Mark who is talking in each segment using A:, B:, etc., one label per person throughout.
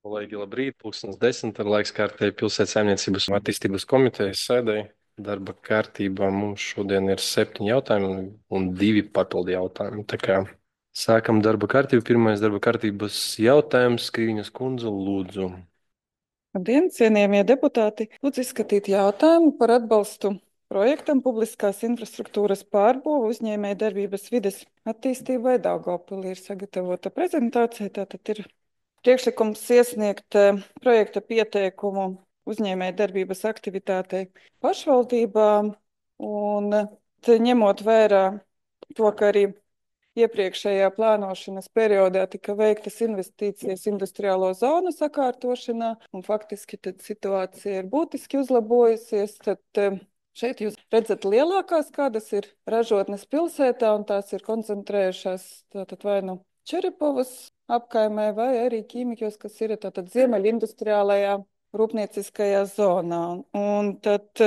A: Kolēģi, labrīt! 10:00 ir laiks kārtēji pilsētas saimniecības un attīstības komitejas sēdēji. Darba kārtībā mums šodien ir 7 jautājumi un 2 papildu jautājumi. Tā kā sākam darba kārtību. Pirmais darba kārtības jautājums - Skriņas kundze, lūdzu.
B: Labdien, cienījamie deputāti! Lūdzu izskatīt jautājumu par atbalstu projektam publiskās infrastruktūras pārbūve uzņēmēja darbības vides attīstībai Daugavpilī. Ir sagatavota prezentācija, tātad ir priekšlikums iesniegt projekta pieteikumu uzņēmēja darbības aktivitātei pašvaldībām un ņemot vērā to, ka arī iepriekšējā plānošanas periodā tika veiktas investīcijas industriālo zonu sakārtošanā, un faktiski tad situācija ir būtiski uzlabojusies. Tad šeit jūs redzat lielākās, kādas ir ražotnes pilsētā, un tās ir koncentrējušās tātad vai nu Čeripovas apkaimē, vai arī ķīmijos, kas ir tātad ziemeļindustriālajā rūpnieciskajā zonā. Un tad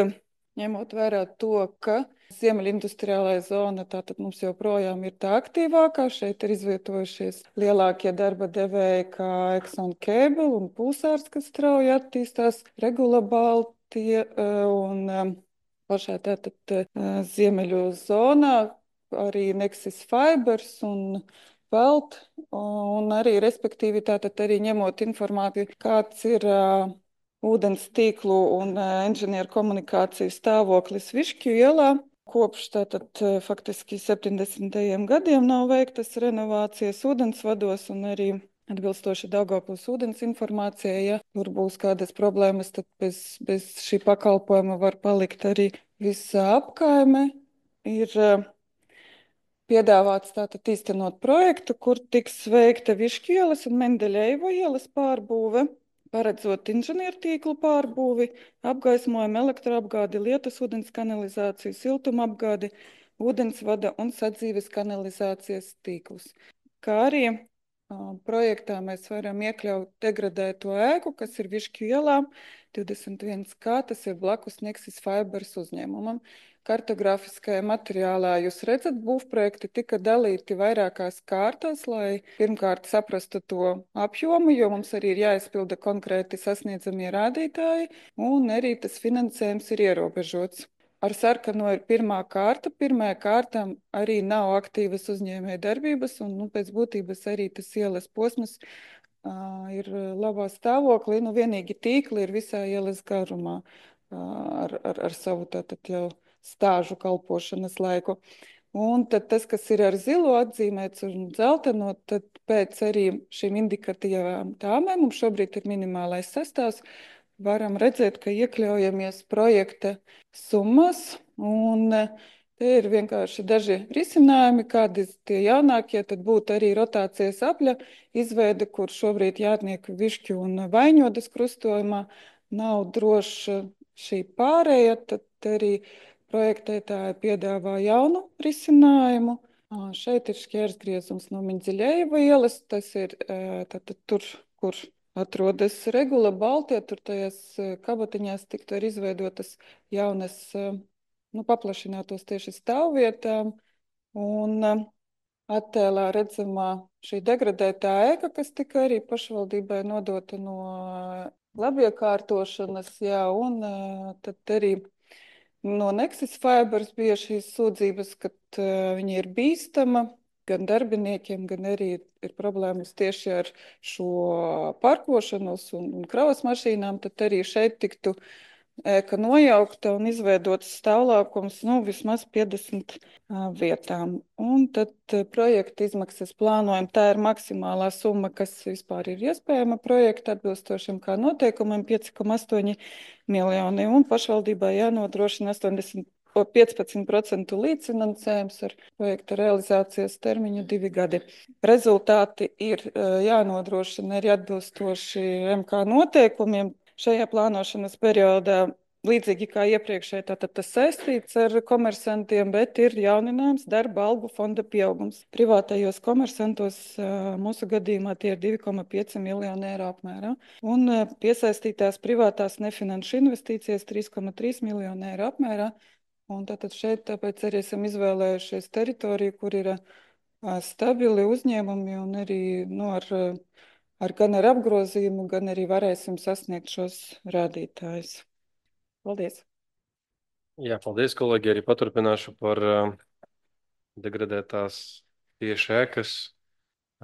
B: ņemot vērā to, ka ziemeļindustriālajā zona tātad mums joprojām ir tā aktīvākā. Šeit ir izvietojušies lielākie darba devēji kā Exxon Cable un Pulsārs, kas strauji attīstās, Regula Baltija un pašā tātad ziemeļu zonā arī Nexus Fibers un Pelt, un arī, respektīvi, tātad arī ņemot informāciju, kāds ir ūdens tīklu un inženieru komunikāciju stāvoklis Višķu ielā. Kopš tātad faktiski 70. gadiem nav veiktas renovācijas ūdensvados un arī atbilstoši Daugavpils ūdens informācijai, ja tur būs kādas problēmas, tad bez šī pakalpojuma var palikt arī visa apkaime. Ir piedāvāts tātad īstenot projektu, kur tiks veikta Višķu ielas un Mendeļejevo ielas pārbūve, paredzot inženiertīklu pārbūvi, apgaismojumu, elektroapgādi, lietusūdens kanalizāciju, siltumapgādi, ūdensvada un sadzīves kanalizācijas tīklus. Kā arī projektā mēs varam iekļaut degradēto ēku, kas ir Višķu ielā 21K, tas ir blakus Nexus Fibers uzņēmumam. Kartogrāfiskajā materiālā jūs redzat, būvprojekti tika dalīti vairākās kārtās, lai pirmkārt saprastu to apjomu, jo mums arī ir jāizpilda konkrēti sasniedzamie rādītāji, un arī tas finansējums ir ierobežots. Ar sarkano ir pirmā kārta. Pirmajā kārtā arī nav aktīvas uzņēmēja darbības, un pēc būtības arī tas ielas posms ir labā stāvoklī. Vienīgi tīkli ir visā ielas garumā ar savu tātad jau stāžu kalpošanas laiku. Un tad tas, kas ir ar zilo atzīmēts un dzelteno, tad pēc arī šīm indikatīvām tāmēm, mums šobrīd ir minimālais sastāvs, varam redzēt, ka iekļaujamies projekta summas, un te ir vienkārši daži risinājumi, kādi tie jaunākie, tad būtu arī rotācijas apļa izveide, kur šobrīd Jātnieku, Višķu un Vaiņodas krustojumā nav droša šī pārēja, tad arī projektētāji piedāvā jaunu risinājumu. Šeit ir šķērsgriezums no Mendeļejeva ielas, tas ir tātad tur, kur atrodas Regula Baltija, tur tajās kabatiņās tiktu arī izveidotas jaunas, paplašinātos tieši stāvvietām, un attēlā redzamā šī degradētā ēka, kas tika arī pašvaldībai nodota no labiekārtošanas, jā, un tad arī no Nexus Fibers bija šīs sūdzības, ka viņa ir bīstama gan darbiniekiem, gan arī ir problēmas tieši ar šo parkošanos un kravas mašīnām, tad arī šeit tiktu ēka nojaukta un izveidots stāvlaukums vismaz 50 vietām. Un tad projekta izmaksas plānojam, tā ir maksimālā summa, kas vispār ir iespējama projekta atbilstošiem kā noteikumiem 5,8 miljoni, un pašvaldībai jānodrošina 15% līdzfinansējums ar projekta realizācijas termiņu 2 gadi. Rezultāti ir jānodrošina arī atbilstoši MK noteikumiem. Šajā plānošanas periodā, līdzīgi kā iepriekšēji, tātad tas saistīts ar komersantiem, bet ir jauninājums darba algu fonda pieaugums. Privātajos komersantos mūsu gadījumā tie ir 2,5 miljoni eiro apmērā, un piesaistītās privātās nefinanšu investīcijas 3,3 miljoni eiro apmērā. Un tātad šeit tāpēc arī esam izvēlējušies teritoriju, kur ir stabili uzņēmumi un arī gan ar apgrozījumu, gan arī varēsim sasniegt šos rādītājus. Paldies!
A: Jā, paldies, kolēģi. Arī paturpināšu par degradētās tieši ēkas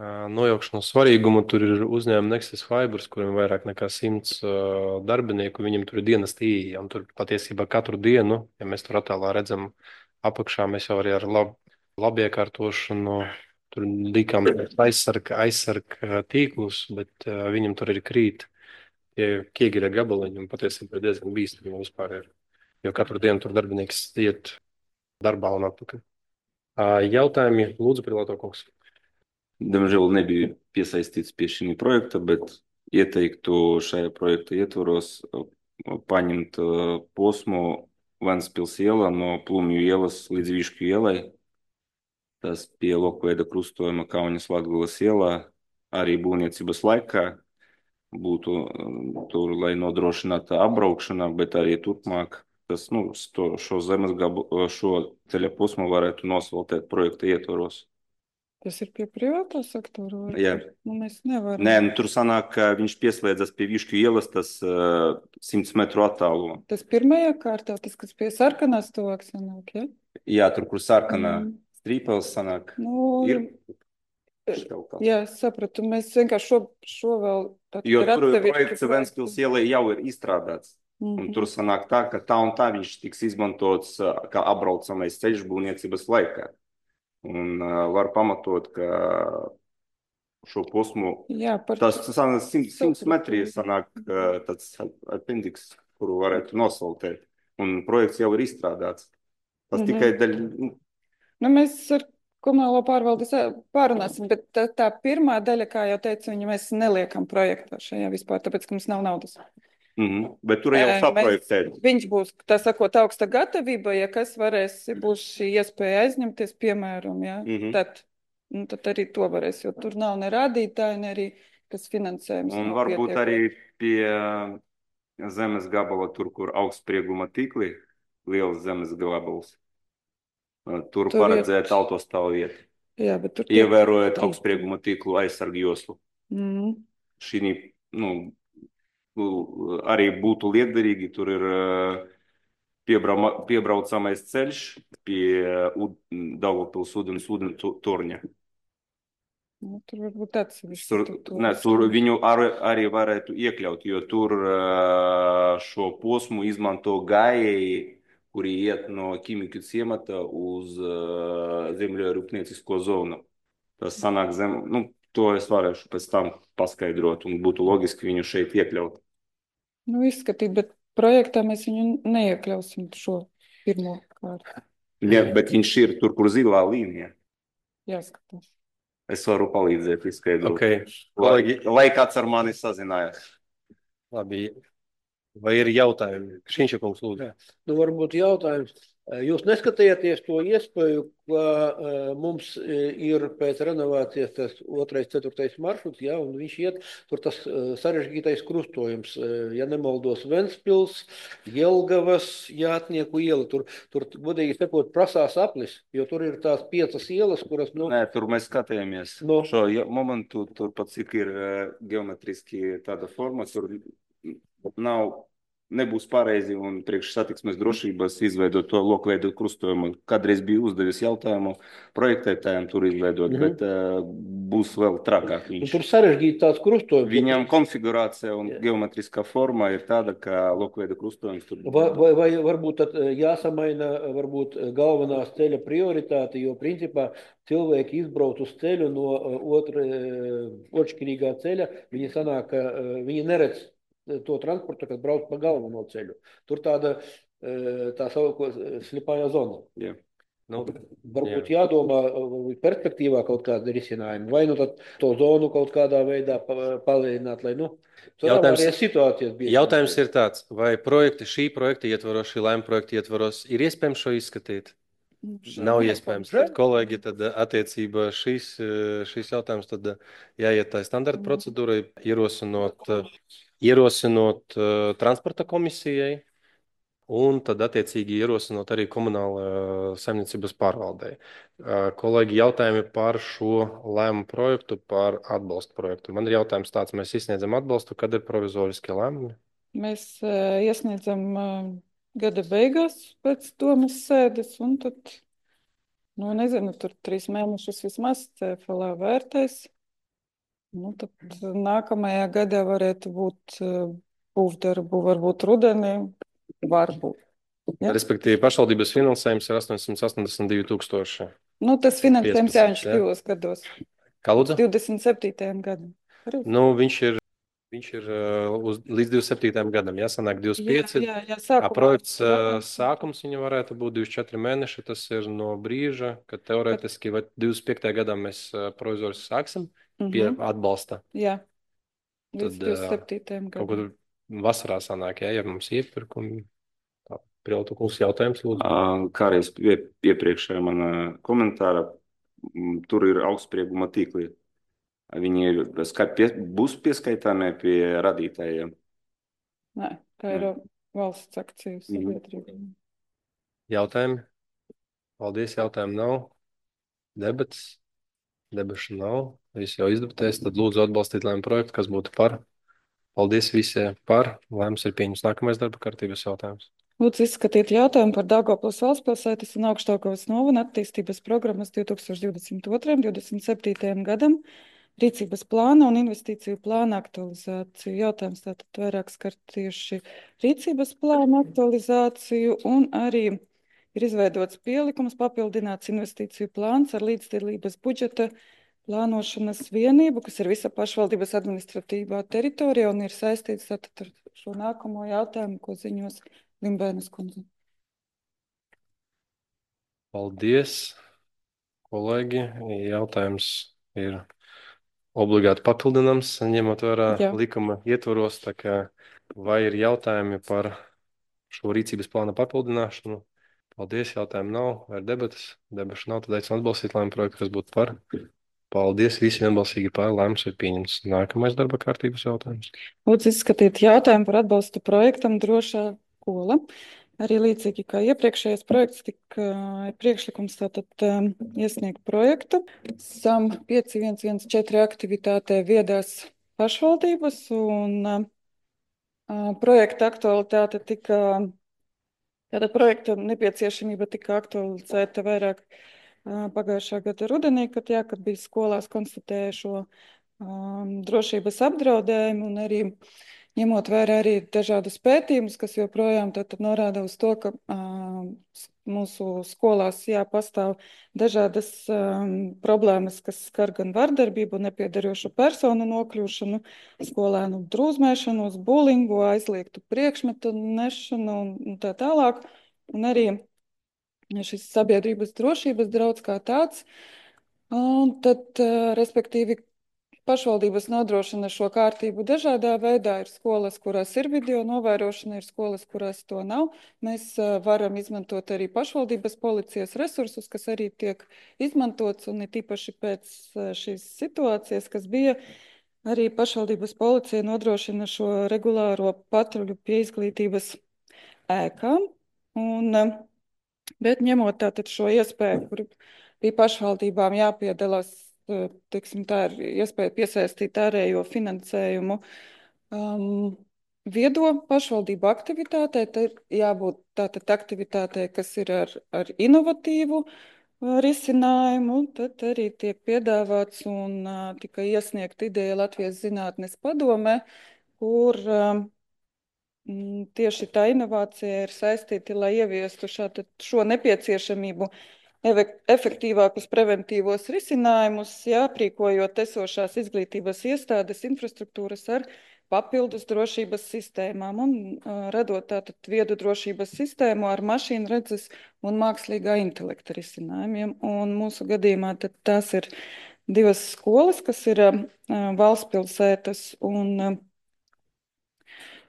A: nojaukšanas svarīgumu. Tur ir uzņēmuma Nexus Fibers, kuriem ir vairāk nekā 100 darbinieku. Viņam tur ir dienas tīja, un tur patiesībā katru dienu, ja mēs tur attēlā redzam apakšā, mēs jau arī ar labu iekārtošanu tur likām aizsarga tīklus, bet viņam tur ir krīt tie ķieģeļa gabaliņi, un patiesībā ir diezgan bīstami vispār ir. Jo katru dienu tur darbinieks iet darbā un atpakaļ. Jautājumi, lūdzu, Pilato kungs.
C: Diemžēl nebija piesaistīts pie šī projekta, bet ieteiktu šajā projekta ietvaros paņemt posmu Ventspils iela no Plumju ielas līdz Višķu ielai. Tas pie lokveida krustojuma Kaunas Latgulas ielā arī būvniecības laikā būtu tur, lai nodrošinātu apbraukšanu, bet arī turpmāk tas, šo ceļa posmu varētu nosvaltēt projekta ietvaros.
B: Tas ir pie privātā sektora?
C: Jā.
B: Mēs nevaram.
C: Nē, tur sanāk, ka viņš pieslēdzas pie Višķu ielas, tas 100 metru attālumā.
B: Tas pirmajā kārtā, tas, kas pie sarkanās tuvāk sanāk, ja?
C: Jā, tur, kur sarkanā strīpels sanāk, ir.
B: Jā, sapratu. Mēs vienkārši šo vēl...
C: Jo tur projekts Ventspils ielai jau ir izstrādāts. Un tur sanāk tā, ka tā un tā viņš tiks izmantots kā apbraucamais ceļš būvniecības laikā. Un var pamatot, ka šo posmu, tas 100 metri sanāk tāds appendiks, kuru varētu nosaltēt. Un projekts jau ir izstrādāts. Tas tikai daļa...
B: Mēs ar komunālo pārvaldi pārunāsim, bet tā pirmā daļa, kā jau teicu, mēs neliekam projektā šajā vispār, tāpēc, ka mums nav naudas.
C: Bet tur jau saprojektēt.
B: Viņš būs, tā sakot, augsta gatavība, ja kas būs šī iespēja aizņemties, piemēram, ja, tad arī to varēs, jo tur nav ne rādītāji, ne arī kas finansējums.
C: Un varbūt arī pie zemes gabala, tur, kur augstsprieguma tīkli, liels zemes gabals, tur paredzēt autostāvu vietu.
B: Jā, bet tur
C: ievērojot augstsprieguma tīklu aizsargu joslu. Šī, arī būtu lietderīgi, tur ir piebraucamais ceļš pie Daugavpils ūdens torņa.
B: Tur varbūt
C: tur viņu arī varētu iekļaut, jo tur šo posmu izmanto gājēji, kuri iet no Ķīmiku ciemata uz zemļu rūpniecisko zonu. Tas sanāk to es varēšu pēc tam paskaidrot un būtu logiski viņu šeit iekļaut.
B: Izskatīt, bet projektā mēs viņu neiekļausim šo pirmo kārtu.
C: Jā, bet viņš ir tur, kur zilā līnija.
B: Jāskatās.
C: Es varu palīdzēt izskaidrot.
A: Okay.
C: Lai kāds ar mani sazinājās.
A: Labi. Vai ir jautājumi? Kšiņša kungs, lūdzu.
D: Varbūt jautājums. Jūs neskatījāties to iespēju, ka mums ir pēc renovācijas tas 2., 4. maršruts, ja, un viņš iet tur tas sarežģītais krustojums, ja nemaldos, Ventspils, Jelgavas, Jātnieku iela, tur godīgi sakot, prasās aplis, jo tur ir tās 5 ielas, kuras...
C: Nē, tur mēs skatījāmies. Šo momentu tur pat cik ir geometriski tāda forma, tur nebūs pareizi un priekš satiksmes drošības izveidot to lokveidu krustojumu. Kādreiz bija uzdevis jautājumu projektētājiem tur izveidot, bet būs vēl trakāk viņš.
D: Tur sarežģīt tāds krustojums.
C: Viņam konfigurācija un geometriskā forma ir tāda, ka lokveida krustojums tur...
D: Vai varbūt tad jāsamaina varbūt galvenās ceļa prioritāte, jo principā cilvēki izbrauc uz ceļu no otršķirīgā ceļa, viņi sanāk, viņi neredz to transportu, kas brauc pa galveno ceļu. Tur tā sauko slipājā zona.
C: Jā.
D: Varbūt jādomā perspektīvā kaut kāda risinājuma, vai tad to zonu kaut kādā veidā palielināt, lai
A: jautājums ir tāds, vai šī projekta ietvaros, šī lēma projekta ietvaros ir iespējams šo izskatīt? Nav iespējams. Tad, kolēģi, tad attiecībā šīs jautājums tad jāiet tā standarta procedūrai, ierosinot transporta komisijai un tad attiecīgi ierosinot arī komunāla saimniecības pārvaldē. Kolēģi, jautājumi par šo lēmumu projektu, par atbalstu projektu. Man ir jautājums tāds, mēs izsniedzam atbalstu, kad ir provizoriskie lēmumi?
B: Mēs iesniedzam gada beigās pēc domas sēdes, un tad, nu, nezinu, tur 3 mēnešus vismaz CFLā vērtēs. Nu, tad nākamajā gadā varētu būt būvdarbu, varbūt rudenī, varbūt. Ja?
A: Respektīvi, pašvaldības finansējums ir 882 000.
B: Nu, tas finansējums,
A: 15,
B: jā, viņš
A: ja?
B: divos gados.
A: Kā lūdzu?
B: 27. gadam.
A: Nu, viņš ir līdz 27. gadam, jāsanāk 25.
B: Jā, sākumā.
A: Projekts sākums viņa varētu būt 24 mēneši. Tas ir no brīža, kad teorētiski vai 25. gadā mēs provizoriski sāksim pie atbalsta.
B: Jā, līdz
A: Tad
B: 27.
A: kaut
B: gadam.
A: kur vasarā sanāk, ja mums iepirkumi. Prieltu kungs jautājums, lūdzu.
C: Kā arī iepriekšējā mana komentāra, tur ir augstsprieguma tīkli. Viņi būs pieskaitāmi pie radītājiem?
B: Nē, tā ir valsts akciju sabiedrība.
A: Jautājumi? Paldies, jautājumu nav. Debašu nav. Visi jau izdebatēs, tad lūdzu atbalstīt lēmumu projektu, kas būtu par. Paldies visiem par. Lēmums ir pieņems. Nākamais darba kārtības jautājums.
B: Lūdzu izskatīt jautājumu par Daugavpils valstspilsētas un Augšdaugavas novada attīstības programmas 2022–2027. gadam, rīcības plāna un investīciju plāna aktualizāciju. Jautājums tātad vairāk skar tieši rīcības plāna aktualizāciju un arī ir izveidots pielikums, papildināts investīciju plāns ar līdzdalības budžeta plānošanas vienību, kas ir visa pašvaldības administratīvā teritorija un ir saistīts tātad ar šo nākamo jautājumu, ko ziņos Limbēnas kundze.
A: Paldies, kolēģi. Jautājums ir obligāti papildināms, ņemot vērā likuma ietvaros. Tā kā vai ir jautājumi par šo rīcības plāna papildināšanu? Paldies, jautājumu nav. Vai ir debatas? Debašu nav, tad aicinu atbalstīt lēmumu projektu, kas būtu par. Paldies, visi vienbalsīgi par. Lēmums ir pieņemts. Nākamais darba kārtības jautājums.
B: Lūdzu izskatīt jautājumu par atbalstu projektam Drošā skola. Arī līdzīgi kā iepriekšējais projekts, tika priekšlikums tātad iesniegt projektu. SAM 5114 aktivitātē viedās pašvaldības un projekta aktualitāte tika, tātad projekta nepieciešamība tika aktualizēta vairāk pagājušā gada rudenī, kad bija skolās konstatēja šo drošības apdraudējumu un arī ņemot vērā arī dažādus pētījumus, kas joprojām norāda uz to, ka mūsu skolās pastāv dažādas problēmas, kas skar gan vardarbību, nepiederošu personu nokļūšanu, skolēnu drūzmēšanos, bulingu, aizliegtu priekšmetu nešanu un tā tālāk. Un arī šis sabiedrības drošības draudz kā tāds. Un tad, respektīvi, pašvaldības nodrošina šo kārtību dažādā veidā. Ir skolas, kurās ir video novērošana, ir skolas, kurās to nav. Mēs varam izmantot arī pašvaldības policijas resursus, kas arī tiek izmantots, un ir tīpaši pēc šīs situācijas, kas bija, arī pašvaldības policija nodrošina šo regulāro patruļu pie izglītības ēkām. Bet ņemot tātad šo iespēju, kur bija pašvaldībām jāpiedalās, teiksim, tā ir iespēja piesaistīt ārējo finansējumu viedo pašvaldību aktivitātei, tad jābūt tātad aktivitātei, kas ir ar inovatīvu risinājumu, tad arī tiek piedāvāts un tika iesniegta ideja Latvijas zinātnes padomē, kur tieši tā inovācija ir saistīta, lai ieviestu šo nepieciešamību efektīvākus preventīvos risinājumus, aprīkojot esošās izglītības iestādes infrastruktūras ar papildus drošības sistēmām un radot tātad viedu drošības sistēmu ar mašīnu redzes un mākslīgā intelekta risinājumiem. Un mūsu gadījumā tad tās ir 2 skolas, kas ir Valstspilsētas un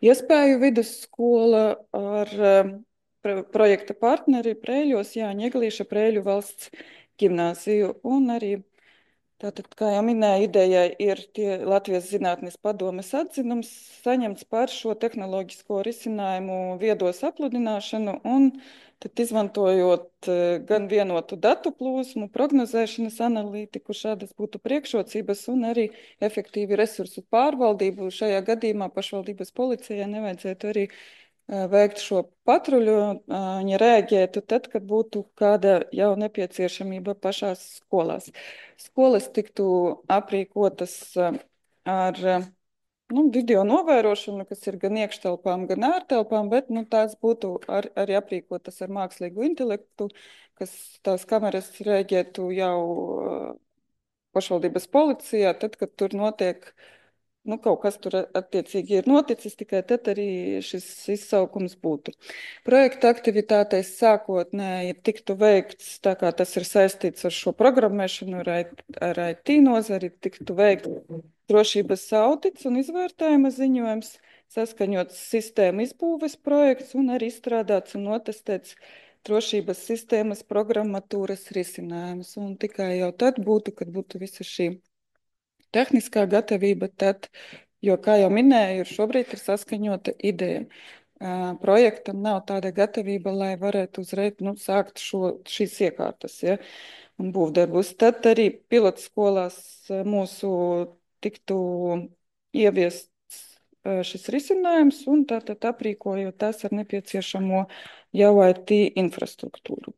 B: Iespēju vidusskola ar projekta partneri Prēļos, Jāņa Eglīša Prēļu valsts ģimnāziju un arī Tātad, kā jau minēju, idejai ir Latvijas Zinātnes padomes atzinums saņemts par šo tehnoloģisko risinājumu viedo sapludināšanu un tad izmantojot gan vienotu datu plūsmu, prognozēšanas analītiku, šādas būtu priekšrocības un arī efektīvi resursu pārvaldību. Šajā gadījumā pašvaldības policijai nevajadzētu arī veikt šo patruļu, viņa rēģētu tad, kad būtu kāda jau nepieciešamība pašās skolās. Skolas tiktu aprīkotas ar video novērošanu, kas ir gan iekštelpām, gan ārtelpām, bet tās būtu arī aprīkotas ar mākslīgu intelektu, kas tās kameras rēģētu jau pašvaldības policijā, tad, kad tur notiek kaut kas tur attiecīgi ir noticis, tikai tad arī šis izsaukums būtu. Projekta aktivitātēs sākotnēji tiktu veikts, tā kā tas ir saistīts ar šo programmēšanu, ar IT nozari, tiktu veikt drošības audits un izvērtējuma ziņojums, saskaņots sistēma izbūves projekts un arī izstrādāts un notestēts drošības sistēmas programmatūras risinājums. Un tikai jau tad būtu, kad būtu visa šī tehniskā gatavība, tad, jo, kā jau minēju, šobrīd ir saskaņota ideja. Projektam nav tāda gatavība, lai varētu uzreiz sākt šīs iekārtas, ja, un būvdarbus. Tad arī pilotskolās mūsu tiktu ieviests šis risinājums un tātad aprīkojot tās ar nepieciešamo jau IT infrastruktūru.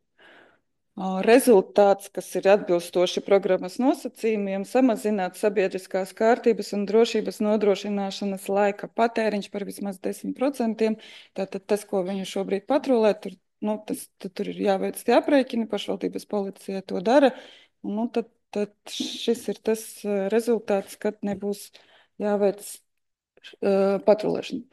B: Rezultāts, kas ir atbilstoši programmas nosacījumiem, samazināt sabiedriskās kārtības un drošības nodrošināšanas laika patēriņš par vismaz 10%. Tātad tas, ko viņi šobrīd patrulē, tur ir jāveic tie aprēķini, pašvaldības policija to dara. Tad šis ir tas rezultāts, kad nebūs jāveic patrulēšana.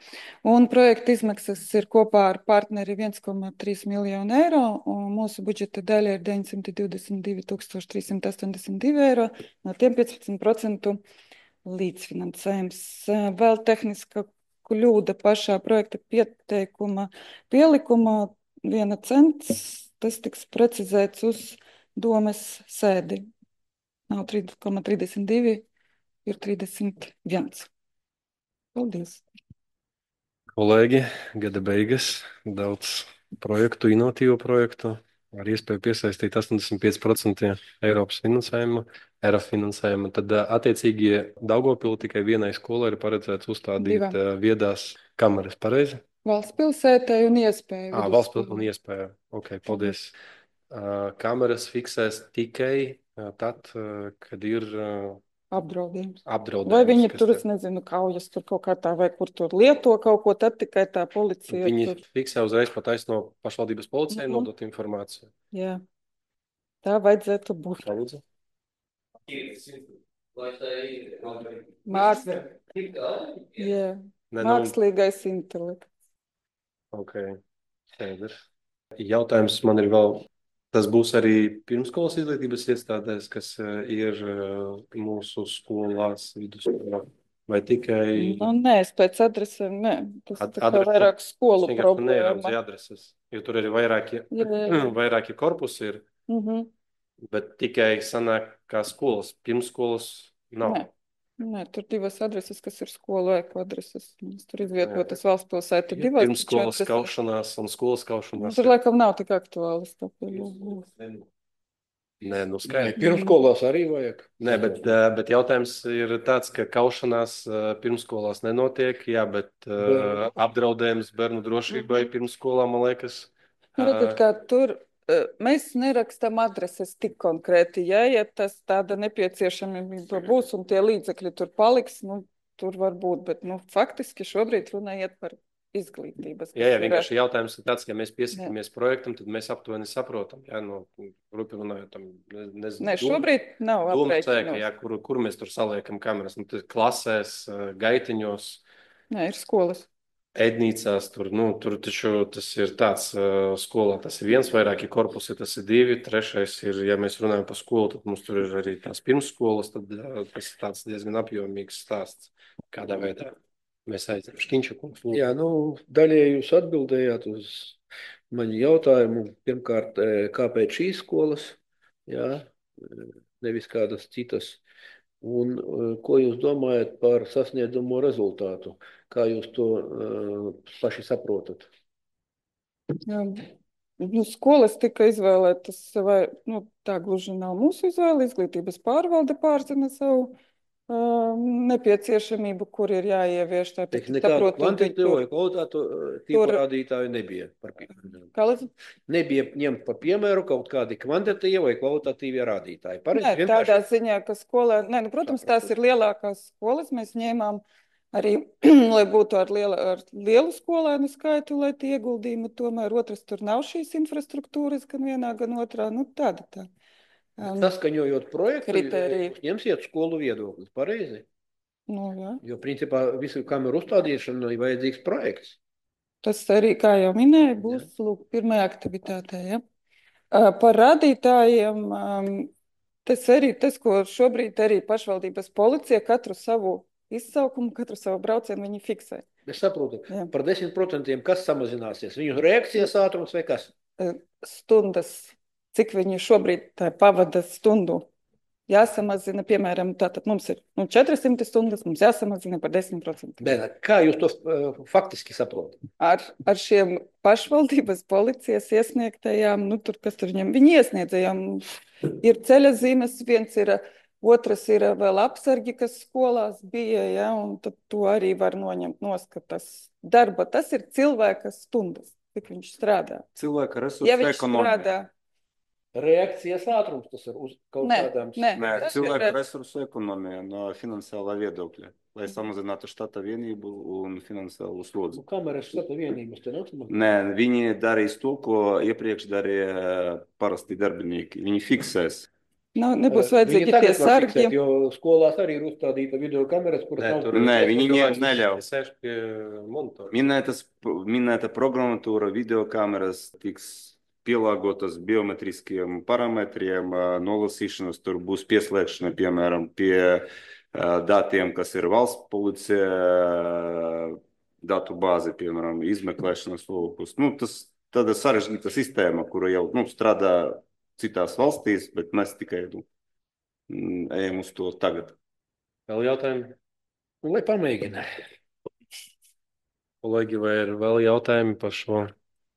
B: Un projekta izmaksas ir kopā ar partneri 1,3 miljonu eiro, un mūsu budžeta daļa ir 922 382 eiro, no tiem 15% līdzfinansējums. Vēl tehniska kļūda pašā projekta pieteikuma pielikumā 1 cents, tas tiks precizēts uz domes sēdi. Nav 3,32, ir 31. Paldies!
A: Kolēģi, gada beigas, daudz projektu, inovatīvu projektu, ar iespēju piesaistīt 85% Eiropas finansējumu, ERA finansējumu. Tad attiecīgi Daugavpilī tikai vienai skolai ir paredzēts uzstādīt viedās kameras, pareizi?
B: Valsts pilsētai un iespēju.
A: Valsts pilsētai un iespēju. Ok, paldies. Kameras fiksēs tikai tad, kad ir
B: apdraudējums.
A: apdraudējums.
B: Vai viņi tur, es nezinu, kaujas tur kaut kā tā, vai kur tur lieto kaut ko, tad tikai tā policija.
A: Viņi
B: tur
A: fiksē uzreiz pataisno pašvaldības policijai nodot informāciju.
B: Jā, tā vajadzētu būt.
A: Palūdzu.
B: Jā, mākslīgais intelekts.
A: Ok, skaidrs. Jautājums man ir vēl. Tas būs arī pirmskolas izglītības iestādēs, kas ir mūsu skolās, vidusskolā, vai tikai...
B: Nē, es pēc adresēm, nē. Tas tā kā vairāk skolu problēma.
A: Neieradzi adreses, jo tur arī vairāki korpusi ir, bet tikai sanāk kā skolas, pirmskolas nav.
B: Nē, tur 2 adreses, kas ir skolu ēku adreses. Tur izvietotas valsts pilsēta 2.
A: Pirmskolas kaušanās un skolas kaušanās.
B: Tur laikam nav tik aktuāls.
A: Nē, skaidrs.
D: Pirmskolās arī vajag.
A: Nē, bet jautājums ir tāds, ka kaušanās pirmskolās nenotiek, jā, bet apdraudējums bērnu drošībai pirmsskolā, man liekas.
B: Redziet, kā tur mēs nerakstam adreses tik konkrēti, ja tas tāda nepieciešamība būs un tie līdzekļi tur paliks, tur var būt, bet faktiski šobrīd runājiet par izglītības.
A: Jā, vienkārši jautājums ir tāds, ka mēs piesakamies projektam, tad mēs aptuveni saprotam, jā, grupi runājot tam, nezinu.
B: Nē, šobrīd nav aprēķinos.
A: Jā, kur mēs tur saliekam kameras, klasēs, gaitiņos.
B: Nē, ir skolas.
A: Ēdnīcās, tur taču tas ir tāds skolā, tas ir 1, vairāki korpusi, tas ir 2, 3 ir, ja mēs runājam par skolu, tad mums tur ir arī tās pirmsskolas, tad tas ir tāds diezgan apjomīgs stāsts, kādā veidā mēs aizam. Škiņša kungs.
D: Jā, daļēji jūs atbildējāt uz mani jautājumu. Pirmkārt, kāpēc šīs skolas? Jā, nevis kādas citas. Un ko jūs domājat par sasniedzamo rezultātu? Kā jūs to paši saprotat?
B: Jā. Nu, skolas tika izvēlētas, vai tā gluži nav mūsu izvēle. Izglītības pārvalde pārzina savu nepieciešamību, kur ir jāievieš. Tāpēc
D: Nekādu kvantitātu vai kvalitātu tīpa rādītāju nebija. Nebija ņemt par piemēru kaut kādi kvantitatīvi vai kvalitatīvi rādītāji.
B: Nē, tādā ziņā, ka skolā, protams, tās ir lielākās skolas. Mēs ņēmām arī, lai būtu ar lielu skolēnu skaitu, lai tie ieguldījumi tomēr otrs tur nav šīs infrastruktūras, gan vienā, gan otrā. Tāda.
D: Saskaņojot projektu, ņemsiet skolu viedoklis, pareizi?
B: Jā.
D: Jo, principā, visu kameru uzstādīšanu ir vajadzīgs projekts.
B: Tas arī, kā jau minēju, būs pirmajā aktivitātē. Ja? Par rādītājiem, tas, ko šobrīd arī pašvaldības policija katru savu izsaukumu, katru savu braucienu viņi fiksē.
D: Es saprotu, par 10% kas samazināsies? Viņu reakcijas ātrums vai kas?
B: Stundas. Cik viņi šobrīd pavada stundu jāsamazina, piemēram, tātad mums ir 400 stundas, mums jāsamazina par 10%.
D: Bet kā jūs to faktiski saprotat?
B: Ar šiem pašvaldības policijas iesniegtajām, kas tur viņam, viņi iesniedzējām, ir ceļa zīmes, otrs ir vēl apsargi, kas skolās bija, ja, un tad to arī var noņemt noskatas darba. Tas ir cilvēka stundas, cik viņš strādā.
C: Cilvēka resursu ekonomija.
D: Reakcijas ātrums tas ir uz kaut kādām...
C: Nē, cilvēku resursu ekonomija no finansiālā viedokļa, lai samazinātu štata vienību un finansiālu slodzi.
D: Kameras štata vienības te nav?
C: Nē, viņi darīs to, ko iepriekš darīja parasti darbinieki. Viņi fiksēs.
B: Nebūs vajadzīgi tie sargi.
D: Jo skolās arī ir uzstādīta video kameras, kuras nav...
C: Nē, viņi neļauj.
A: Sēž pie monitora.
C: Minēta programmatūra video kameras tiks pielāgotas biometriskiem parametriem, nolasīšanas, tur būs pieslēgšana, piemēram, pie datiem, kas ir valsts policija, datu bāzi, piemēram, izmeklēšanas lūkus. Tas tāda sarežģīta sistēma, kura jau strādā citās valstīs, bet mēs tikai ejam uz to tagad.
A: Vēl jautājumi?
D: Lai pamēģina.
A: Kolēģi, vai ir vēl jautājumi par šo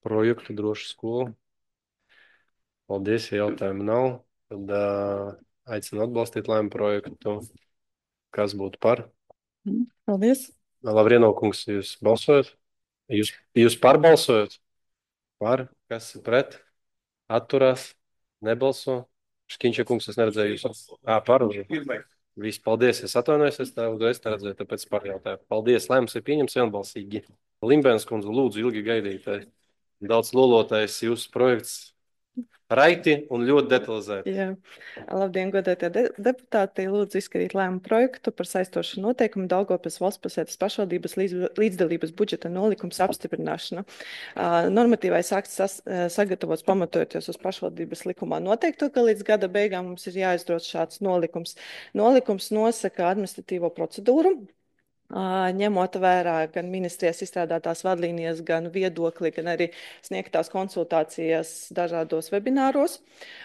A: projektu Droša skola? Paldies, ja jautājumu nav. Tad aicinu atbalstīt lēmumu projektu. Kas būtu par?
B: Paldies.
A: Lavrieno kungs, jūs balsojat? Jūs pārbalsojat? Par? Kas ir pret? Atturās? Nebalso? Škiņša kungs, es neredzēju jūs. Par. Viss, paldies. Es atvainojos, es tā uzreiz neredzēju, tāpēc par jautājumu. Paldies, lēmums ir pieņems vienbalsīgi. Limbēns kundze, lūdzu, ilgi gaidītāji. Daudz lolotais jūsu projekts. Raiti un ļoti detalizēti.
E: Jā. Labdien, godētie deputāti. Lūdzu izskatīt lēmumu projektu par saistošu noteikumu Daugavpils valstspilsētas pašvaldības līdzdalības budžeta nolikums apstiprināšanu. Normatīvais akts sagatavots pamatojoties uz pašvaldības likumā noteikto, ka līdz gada beigām mums ir jāizdod šāds nolikums. Nolikums nosaka administratīvo procedūru, ņemot vērā gan ministrijas izstrādātās vadlīnijas, gan viedokli, gan arī sniegtās konsultācijas dažādos webināros.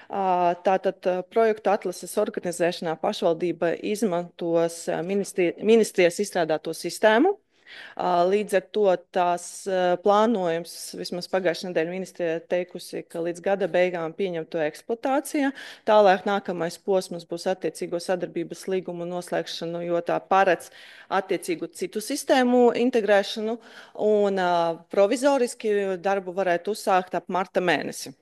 E: Tātad projektu atlases organizēšanā pašvaldība izmantos ministrijas izstrādāto sistēmu. Līdz ar to tās plānojums, vismaz pagājušajā nedēļā ministrija teikusi, ka līdz gada beigām pieņem to eksploatācijā. Tālāk nākamais posms būs attiecīgo sadarbības līgumu noslēgšanu, jo tā paredz attiecīgu citu sistēmu integrēšanu un provizoriski darbu varētu uzsākt ap marta mēnesi.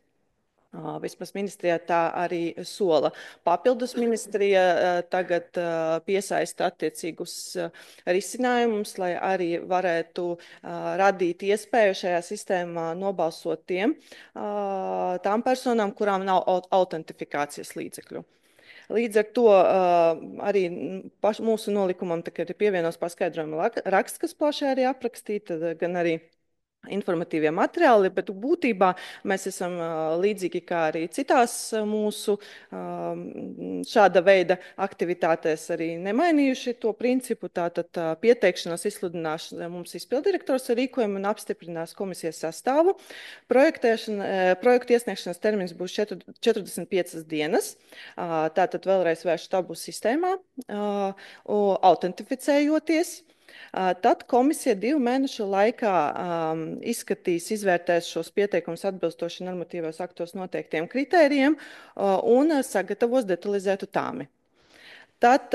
E: Vismaz ministrijā tā arī sola. Papildus ministrija tagad piesaista attiecīgus risinājumus, lai arī varētu radīt iespēju šajā sistēmā nobalsot tām personām, kurām nav autentifikācijas līdzekļu. Līdz ar to arī mūsu nolikumam ir pievienos paskaidrojuma raksts, kas plaši arī aprakstīta, gan arī informatīvie materiāli, bet būtībā mēs esam līdzīgi kā arī citās mūsu šāda veida aktivitātēs arī nemainījuši to principu. Tātad pieteikšanās izsludināšana mums izpildirektors ar rīkojumu un apstiprinās komisijas sastāvu. Projektu iesniegšanas termins būs 45 dienas. Tātad vēlreiz vēršu tabu sistēmā, autentificējoties. Tad komisija 2 mēnešu laikā izskatīs, izvērtēs šos pieteikumus atbilstoši normatīvos aktos noteiktiem kritērijiem un sagatavos detalizētu tāmi. Tad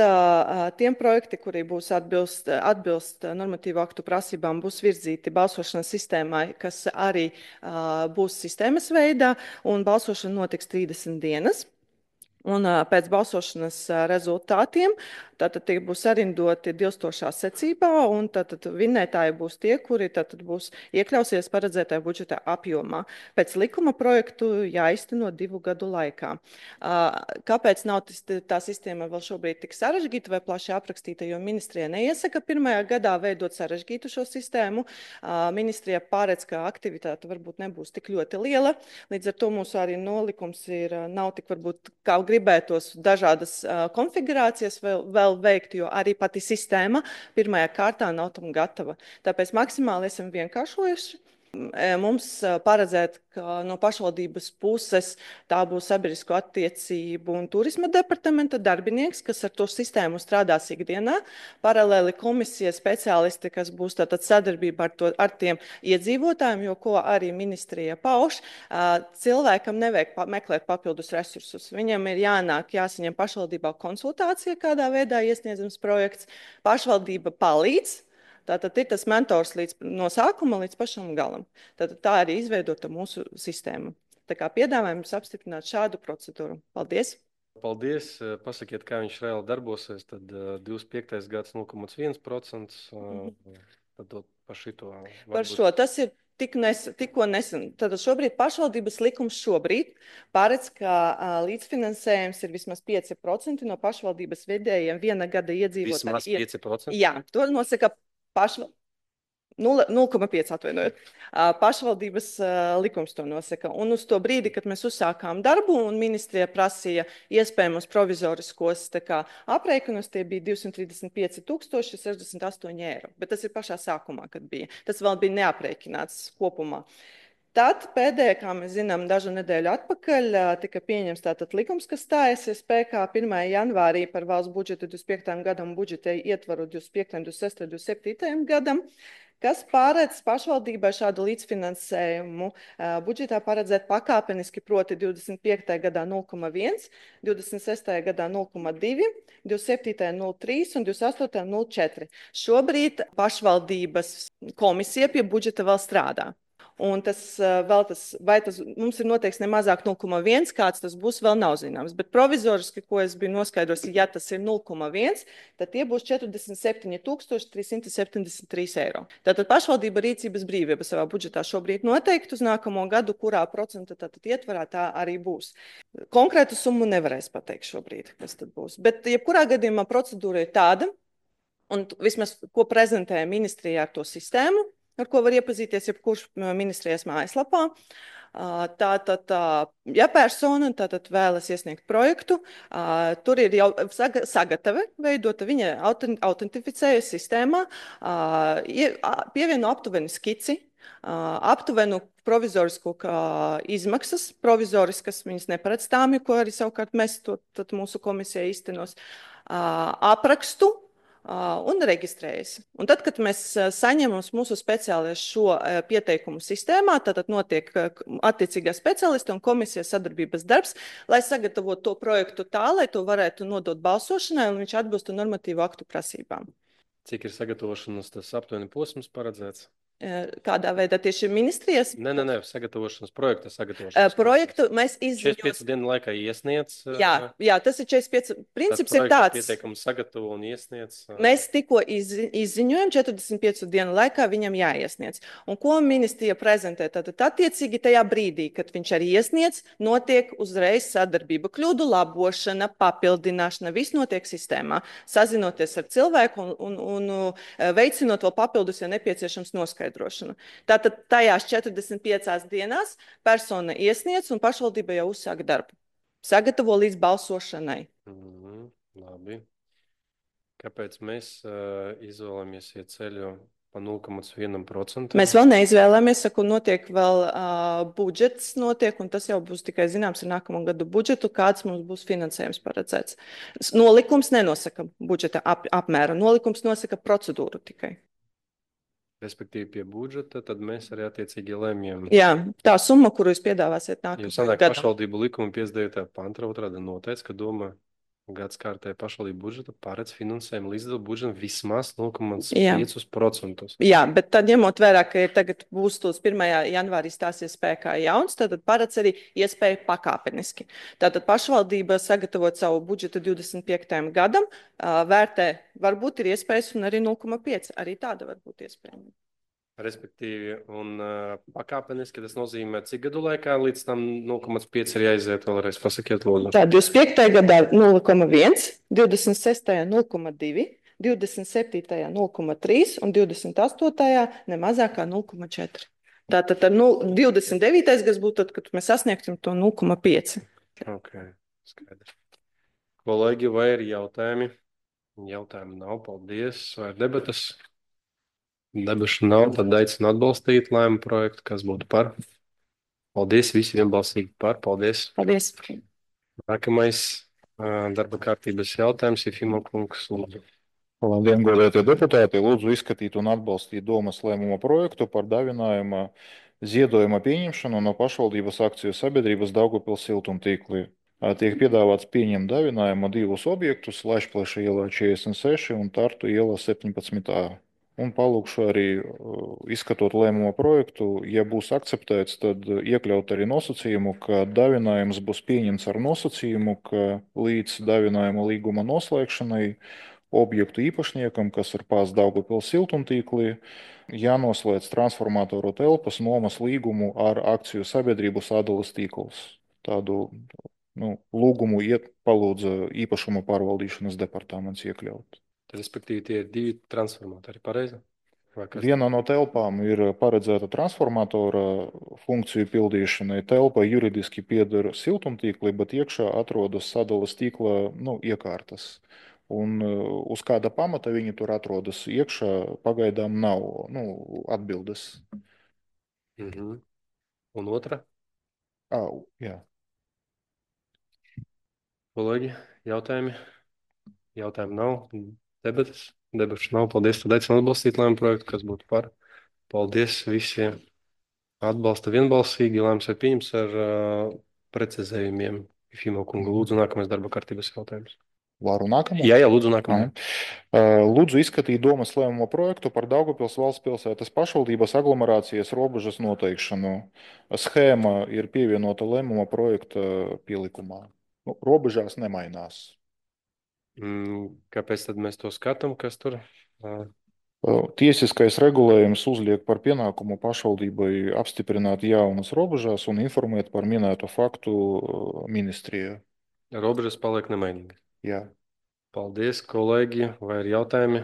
E: tiem projekti, kuri būs atbilst normatīvu aktu prasībām, būs virzīti balsošanas sistēmai, kas arī būs sistēmas veidā, un balsošana notiks 30 dienas. Un pēc balsošanas rezultātiem tātad tie būs sarindoti dilstošā secībā, un tātad vinnētāji būs tie, kuri tātad būs iekļausies paredzētajā budžeta apjomā. Pēc likuma projektu jāizteno 2 gadu laikā. Kāpēc nav tā sistēma vēl šobrīd tik sarežģīta vai plaši aprakstīta, jo ministrija neiesaka pirmajā gadā veidot sarežģītu šo sistēmu. Ministrija pārēc, ka aktivitāte varbūt nebūs tik ļoti liela, līdz ar to mūsu arī nolikums nav tik varbūt kā gribētos dažādas konfigurācijas vēl veikt, jo arī pati sistēma pirmajā kārtā nav tam gatava. Tāpēc maksimāli esam vienkāršojuši. Mums paredzēt, ka no pašvaldības puses tā būs sabiedrisko attiecību un turisma departamenta darbinieks, kas ar to sistēmu strādās ikdienā. Paralēli komisijas speciālisti, kas būs tātad sadarbība ar tiem iedzīvotājiem, jo ko arī ministrija pauž, cilvēkam nevajag meklēt papildus resursus. Viņam ir jāsaņem pašvaldībā konsultācija, kādā veidā iesniedzams projekts. Pašvaldība palīdz. Tātad ir tas mentors no sākuma līdz pašam galam. Tātad tā arī izveidota mūsu sistēma. Tā kā piedāvājam jums apstiprināt šādu procedūru. Paldies!
A: Paldies! Pasakiet, kā viņš reāli darbosies. Tad 25. gads 0,1%. Tad par šito.
E: Par šo tas ir tikko nesen. Tātad šobrīd pašvaldības likums paredz, ka līdzfinansējums ir vismaz 5% no pašvaldības vidējiem viena gada iedzīvotāji.
A: Vismaz 5%?
E: Jā, to nosaka 0,5 atvainojot. Pašvaldības likums to nosaka. Un uz to brīdi, kad mēs uzsākām darbu un ministrija prasīja iespējamos provizoriskos aprēķinus, tie bija 235,068 eiro. Bet tas ir pašā sākumā, kad bija. Tas vēl bija neaprēķināts kopumā. Tad pēdējā, kā mēs zinām, dažu nedēļu atpakaļ tika pieņems tātad likums, kas stājas spēkā 1. janvārī par valsts budžetu 25. gadam, budžeta ietvaru 25., 26., 27. gadam, kas paredz pašvaldībai šādu līdzfinansējumu budžetā paredzēt pakāpeniski, proti 25. gadā 0,1, 26. gadā 0,2, 27. 0,3 un 28. 0,4. Šobrīd pašvaldības komisija pie budžeta vēl strādā. Un mums ir noteikts nemazāk 0,1, kāds tas būs, vēl nav zināms. Bet provizoriski, ko es biju noskaidros, ja tas ir 0,1, tad tie būs 47,373 eiro. Tātad pašvaldība rīcības brīvība savā budžetā šobrīd noteikti uz nākamo gadu, kurā procenta tātad ietvarā tā arī būs. Konkrētu summu nevarēs pateikt šobrīd, kas tad būs. Bet jebkurā gadījumā procedūra ir tāda, un vismaz ko prezentēja ministrija ar to sistēmu, ar ko var iepazīties jebkurš ministrijas mājaslapā. Tātad, ja persona vēlas iesniegt projektu, tur ir jau sagatave veidota, viņa autentificējas sistēmā, pievieno aptuveni skici, aptuvenu provizorisku izmaksas, provizoriskas viņas neparedz tāmi, ko arī savukārt mēs mūsu komisija īstenos, aprakstu, un reģistrējas. Un tad, kad mēs saņemam mūsu speciālistu šo pieteikumu sistēmā, tad notiek attiecīgā speciālista un komisijas sadarbības darbs, lai sagatavotu to projektu tā, lai to varētu nodot balsošanai un viņš atbilstu normatīvu aktu prasībām.
A: Cik ir sagatavošanas tas aptuveni posms paredzēts?
E: Kādā veidā tieši ministrijas?
A: Nē, sagatavošanas projekta sagatavošanas.
E: Projektu mēs
A: 45 dienu laikā iesniedz.
E: Jā, tas ir 45. Princips ir tāds.
A: Pieteikumu sagatavo un iesniedz.
E: Mēs tikko izziņojam, 45 dienu laikā viņam jāiesniedz. Un ko ministrija prezentē? Tad attiecīgi tajā brīdī, kad viņš arī iesniedz, notiek uzreiz sadarbība, kļūdu labošana, papildināšana, viss notiek sistēmā. Sazinoties ar cilvēku un veicinot vēl papildus, ja nepieciešams noskaidrot. noskaidrošanu. Tātad tajās 45 dienās persona iesniedz un pašvaldība jau uzsāk darbu. Sagatavo līdz balsošanai.
A: Labi. Kāpēc mēs izvēlamies iet ceļu pa 0,1%?
E: Mēs vēl neizvēlamies, saku, notiek vēl budžets, un tas jau būs tikai zināms ar nākamo gadu budžetu, kāds mums būs finansējums paredzēts. Nolikums nenosaka budžeta apmēru, nolikums nosaka procedūru tikai.
A: Respektīvi pie budžeta, tad mēs arī attiecīgi lemjam.
E: Jā, tā summa, kuru jūs piedāvāsiet nākamajam
A: Jo sanāk
E: gadam.
A: pašvaldību likuma 59. panta otrāda noteica, ka doma gadskārtēji pašvaldību budžeta paredz finansējumu līdzdala budžetam vismaz 0,5%.
E: Jā, bet tad ņemot vērā, ka tagad būs tos 1. janvārī stāsies spēkā jauns, tad paredz arī iespēju pakāpeniski. Tātad pašvaldība sagatavot savu budžetu 25. gadam, vērtē, varbūt ir iespējas un arī 0,5. Arī tāda var būt iespējama.
A: Respektīvi, un pakāpeniski tas nozīmē, cik gadu laikā līdz tam 0,5 ir jāiziet vēlreiz, pasakiet lūdzu.
E: Tā 25. gadā 0,1, 26. 0,2, 27. 0,3 un 28. nemazāk kā 0,4. Tātad 29. gads būtu tad, kad mēs sasniegsim to 0,5.
A: Ok, skaidrs. Kolēģi, vai ir jautājumi? Jautājumi nav, paldies. Vai ir debatas? Debašu nav, tad aicinu atbalstīt lēmumu projektu, kas būtu par. Paldies, visi vienbalsīgi par. Paldies.
E: Paldies.
A: Nākamais darba kārtības jautājums ir Fimo kungs. Lūdzu.
F: Labdien, godētie deputāti! Lūdzu izskatīt un atbalstīt domas lēmuma projektu par dāvinājuma ziedojuma pieņemšanu no pašvaldības akciju sabiedrības Daugavpils siltumtīkli. Tiek piedāvāts pieņemt dāvinājumu divus objektus - Laišplaša ielā 46 un Tartu ielā 17A. Un palūkšu arī, izskatot lēmuma projektu, ja būs akceptēts, tad iekļaut arī nosacījumu, ka dāvinājums būs pieņemts ar nosacījumu, ka līdz dāvinājuma līguma noslēgšanai objektu īpašniekam, kas ir pās Daugavpils siltumtīklī, jānoslēdz transformatoru telpas nomas līgumu ar akciju sabiedrību Sadalas tīkls. Tādu lūgumu palūdza īpašuma pārvaldīšanas departaments iekļaut.
A: Respektīvi, tie ir divi transformatori, pareizi?
F: Viena no telpām ir paredzēta transformatora funkciju pildīšanai. Telpa juridiski pieder siltumtīklī, bet iekšā atrodas Sadalas tīkla iekārtas. Un uz kāda pamata viņi tur atrodas iekšā, pagaidām nav atbildes.
A: Un otra?
F: Jā.
A: Kolēģi, jautājumi? Jautājumi nav. Debatas? Debašu nav. Paldies. Tad aicinu atbalstīt lēmumu projektu, kas būtu par. Paldies visiem. Atbalsta vienbalsīgi. Lēmums ir pieņems ar precizējumiem. Fimo kungu, lūdzu, nākamais darba kārtības jautājums.
F: Varu nākamo?
A: Jā, lūdzu, nākamā.
F: Lūdzu izskatīt domas lēmuma projektu par Daugavpils valsts pilsētas pašvaldības aglomerācijas robežas noteikšanu. Schēma ir pievienota lēmuma projekta pielikumā. Robežās nemainās.
A: Kāpēc tad mēs to skatām, kas tur?
F: Tiesiskais regulējums uzliek par pienākumu pašvaldībai apstiprināt jaunas robežās un informēt par minēto faktu ministriju.
A: Robežas paliek nemainīgas.
F: Jā.
A: Paldies, kolēģi. Vai ir jautājumi?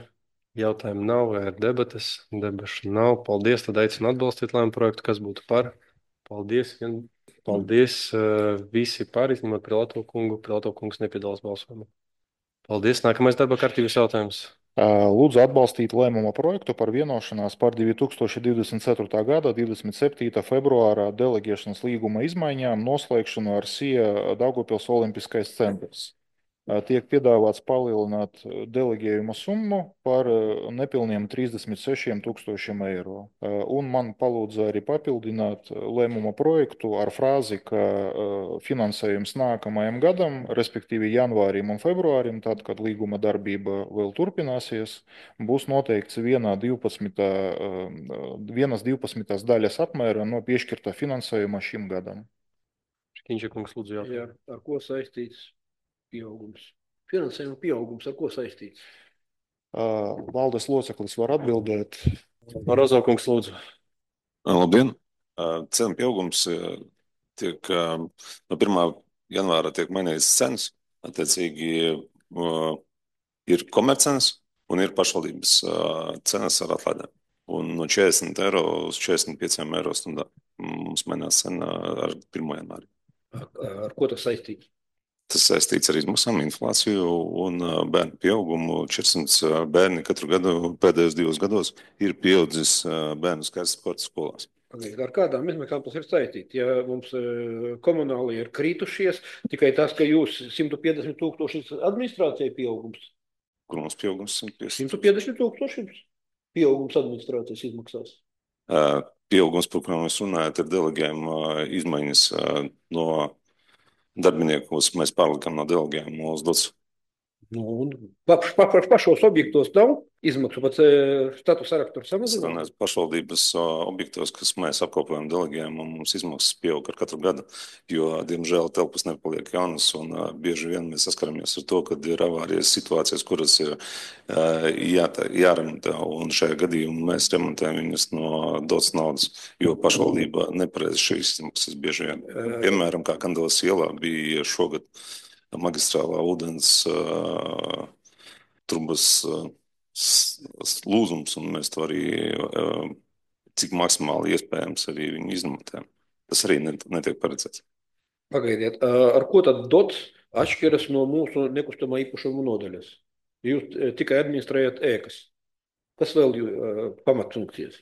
A: Jautājumi nav, vai ir debatas? Debašu nav. Paldies, tad aicinu atbalstīt lēmumu projektu, kas būtu par. Paldies. Paldies visi par, izņemot Prilato kungu. Prilato kungs nepiedalās balsojumā. Paldies. Nākamais darba kārtības jautājums.
F: Lūdzu atbalstīt lēmuma projektu par vienošanās par 2024. gada 27. februārā deleģēšanas līguma izmaiņām noslēgšanu ar SIA Daugavpils Olimpiskais centrs. Tiek piedāvāts palielināt deleģējuma summu par nepilniem 36 000 eiro. Un man palūdza arī papildināt lēmuma projektu ar frāzi, ka finansējums nākamajam gadam, respektīvi janvārim un februārim, tad, kad līguma darbība vēl turpināsies, būs noteikts vienas 12. daļas apmēra no piešķirtā finansējuma šim gadam.
A: Škiņša kungs, lūdzu jautājumu.
D: Jā, ar ko saistīts pieaugums? Finansējuma pieaugums ar ko saistīts?
F: Valdes loceklis var atbildēt.
A: Marozo kungs, lūdzu.
G: Labdien! Cenu pieaugums tiek no 1. janvāra tiek mainīts cenas. Attiecīgi ir komercenas un ir pašvaldības cenas ar atlaidēm. Un no 40 eiro uz 45 eiro stundā mums mainās cena ar 1. janvāri.
D: Ar ko tas saistīts?
G: Tas saistīts ar izmaksām, inflāciju un bērnu pieaugumu. 400 bērni katru gadu pēdējos 2 gados ir pieaudzis bērnu skaits sporta skolās.
D: Ar kādām izmaksām tas ir saistīts? Ja mums komunāli ir kritušies, tikai tas, ka jūs 150 000 administrācijai pieaugums.
G: Kur mums pieaugums 150
D: 000 pieaugums administrācijas izmaksās.
G: Pieaugums, par kurām mēs runājam, ir delegējuma izmaiņas no darbiniekus. Mēs pārlikām no delegējuma uz dots.
D: Nu, pašos objektos nav izmaksu, pat status sarakstu samazināt.
G: Pašvaldības objektos, kas mēs apkopojam delegējumu, mums izmaksas pieaug ar katru gadu, jo, diemžēl, telpas nepaliek jaunas, un bieži vien mēs saskaramies ar to, kad ir avārijas situācijas, kuras ir jāremontē, un šajā gadījumā mēs remontējam viņas no dotas naudas, jo pašvaldība nepareiz šīs izmaksas bieži vien. Piemēram, kā Kandelas ielā bija šogad magistrālā ūdens trubas lūzums, un mēs to arī, cik maksimāli iespējams, arī viņu izmantojam. Tas arī netiek paredzēts.
D: Pagaidiet, ar ko tad dots atšķiras no mūsu nekustamā īpašuma nodaļas? Jūs tikai administrējat ēkas. Kas vēl pamatfunkcijas?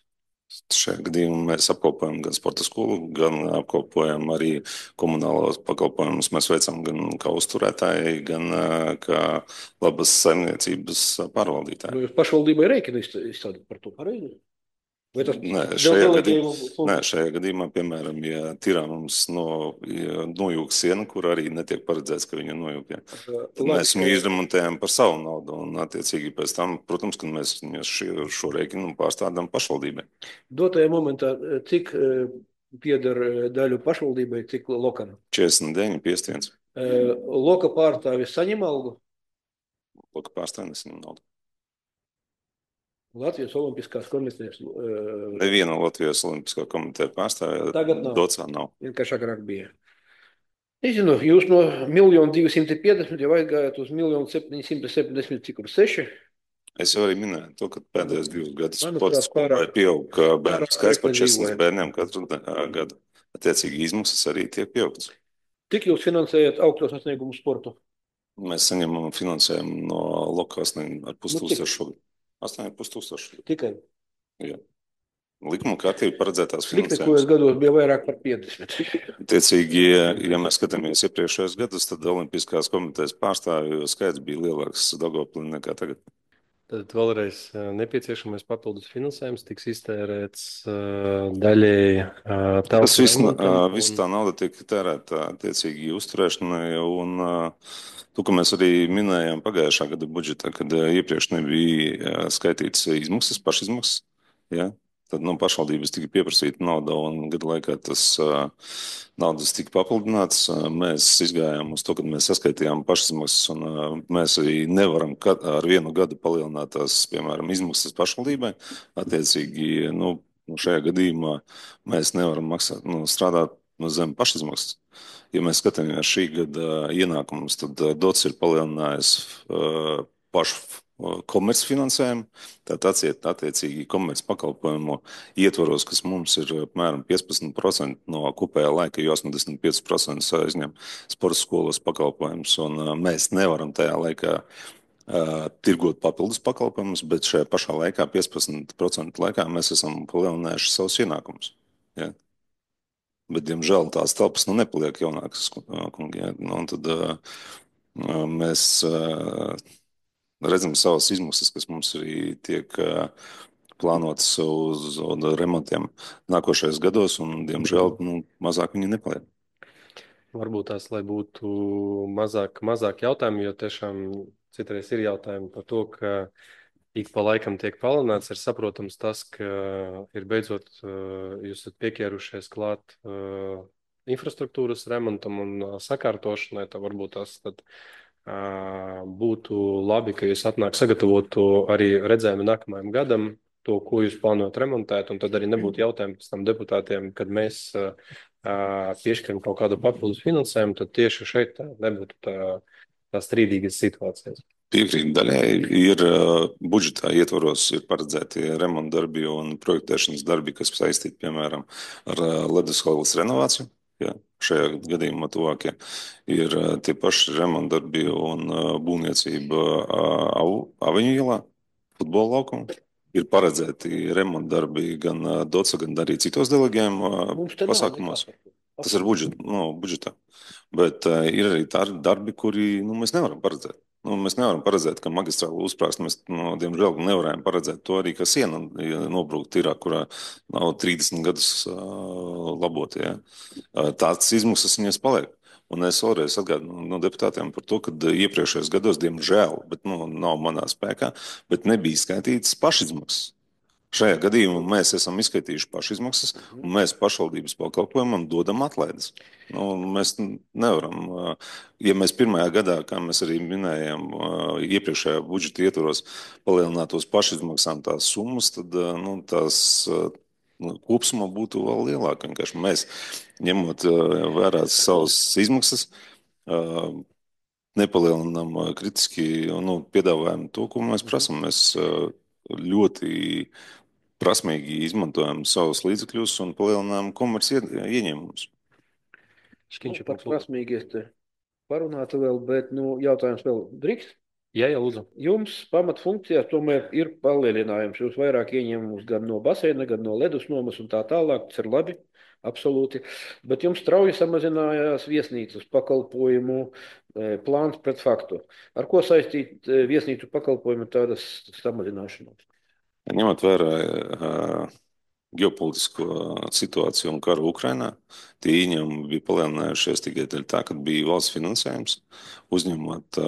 G: Šajā gadījumā mēs apkopojam gan sporta skolu, gan apkopojam arī komunālos pakalpojumus. Mēs veicam gan kā uzturētāji, gan kā labas saimniecības pārvaldītāji.
D: Nu, jūs pašvaldībai rēķinu izstādāt par to pareizi? Vai tas
G: šajā gadījumā, piemēram, ja tirā mums nojūg siena, kur arī netiek paredzēts, ka viņa nojūg. Tad mēs viņu izremontējam par savu naudu, un attiecīgi pēc tam, protams, kad mēs šo rēķinu pārstādām pašvaldībai.
D: Dotajā momentā, cik pieder daļu pašvaldībai, cik lokam?
G: 49, 51.
D: Loka pārstāvis saņem algu?
G: Loka pārstāvis nesaņem naudu.
D: Latvijas Olimpiskās komitejas.
G: Neviena Latvijas Olimpiskā komiteja pārstāvja.
D: Tagad nav.
G: Docā nav.
D: Vienkārši agrāk bija. Nezinu, jūs no 1 250 jau aizgājāt uz 1 770, cik kur 6.
G: Es jau arī minēju to, ka pēdējos 2 gadus sporta skolai pieaug bērnu skaits par 400 bērniem katru gadu. Attiecīgi izmaksas arī tiek pieaugtas.
D: Cik jūs finansējat augsto sasniegumu sportu?
G: Mēs saņemam finansējumu no lokās ar 500 šogad. 8,5
D: Tikai?
G: Jā. Likuma kārtība paredzētās
D: finansējums.
G: Sliktākajos
D: gados bija vairāk par 50.
G: Tiecīgi, ja mēs skatāmies iepriekšējos gadus, tad Olimpiskās komitejas pārstāvju skaits bija lielāks Daugavpilī nekā tagad.
A: Tad vēlreiz nepieciešamais papildus finansējums tiks iztērēts daļēji
G: tas viss tā nauda tiek tērēta attiecīgi uzturēšanai, un to, ka mēs arī minējām pagājušā gada budžetā, kad iepriekš nebija skaitīts izmaksas, pašizmaksas, ja? Tad no pašvaldības tika pieprasīta nauda, un gada laikā tas naudas tika papildināts. Mēs izgājām uz to, kad mēs saskaitījām pašizmaksas, un mēs arī nevaram ar vienu gadu palielināt tās, piemēram, izmaksas pašvaldībai. Attiecīgi, šajā gadījumā mēs nevaram strādāt zem pašizmaksas. Ja mēs skatāmies šī gada ienākumus, tad dots ir palielinājis pašu komercfinansējumu, tātad attiecīgi komerc pakalpojumu ietvaros, kas mums ir apmēram 15% no kopējā laika, jo 85% aizņem sporta skolas pakalpojumus, un mēs nevaram tajā laikā tirgot papildus pakalpojumus, bet šajā pašā laikā, 15% laikā, mēs esam palielinājuši savus ienākumus. Ja? Bet, diemžēl, tās telpas nepaliek jaunākas, kungi. Ja? Un tad mēs redzam savas izmaksas, kas mums arī tiek plānotas uz remontiem nākošajos gados, un, diemžēl, mazāk viņi nepaliek.
A: Varbūt tās, lai būtu mazāk jautājumu, jo tiešām citreiz ir jautājumi par to, ka ik pa laikam tiek palielināts, ir saprotams tas, ka ir beidzot jūs esat pieķērušies klāt infrastruktūras remontam un sakārtošanai, tad varbūt tas tad būtu labi, ka jūs sagatavotu arī redzējumu nākamajam gadam, to, ko jūs plānojat remontēt, un tad arī nebūtu jautājumu pēc tam deputātiem, kad mēs piešķiram kaut kādu papildus finansējumu, tad tieši šeit nebūtu tā strīdīgas situācijas.
G: Piekrīt daļai. Ir budžetā ietvaros ir paredzēti remonta darbi un projektēšanas darbi, kas saistīti, piemēram, ar ledushalas renovāciju. Ja, šajā gadījumā tuvākie ir tie paši remonta darbi un būvniecība Aviņu ielā, futbola laukumā. Ir paredzēti remonta darbi gan DOCA, gan arī citos delegējuma pasākumos. Tas ir budžetā. Bet ir arī tādi darbi, kuri mēs nevaram paredzēt. Mēs nevaram paredzēt, ka magistrālu uzsprāst. Mēs, diemžēl, nevarējām paredzēt to arī, ka siena nobrūk tīrā, kurā nav 30 gadus labot. Ja. Tāds izmaksas viņas paliek. Un es vēlreiz atgādinu deputātiem par to, ka iepriekšējos gados, diemžēl, bet nav manā spēkā, bet nebija skaitītas pašizmaksas. Šajā gadījumā mēs esam izskaitījuši pašizmaksas, un mēs pašvaldības pakalpojumam dodam atlaides. Mēs nevaram, ja mēs pirmajā gadā, kā mēs arī minējām, iepriekšējā budžeta ietvaros palielinātos pašizmaksām tās summas, tad tās kopsumā būtu vēl lielāka. Vienkārši mēs, ņemot vērā savas izmaksas, nepalielinām kritiski piedāvājumu to, ko mēs prasam. Mēs ļoti prasmīgi izmantojam savus līdzekļus un palielinām komerci ieņēmumus.
D: Par prasmīgi es te parunātu vēl, bet jautājums vēl drīkst?
A: Jā, lūdzu.
D: Jums pamatfunkcijās tomēr ir palielinājums. Jūs vairāk ieņemumus gan no baseina, gan no ledus nomas un tā tālāk. Tas ir labi, absolūti. Bet jums strauji samazinājās viesnīcas pakalpojumu plāns pret faktu. Ar ko saistīt viesnīcu pakalpojumu tādas samazināšanos?
G: Ņemot vērā ģeopolitisko situāciju un karu Ukrainā, tie ieņēmumi bija palielinājušies tikai dēļ tā, ka bija valsts finansējums uzņemot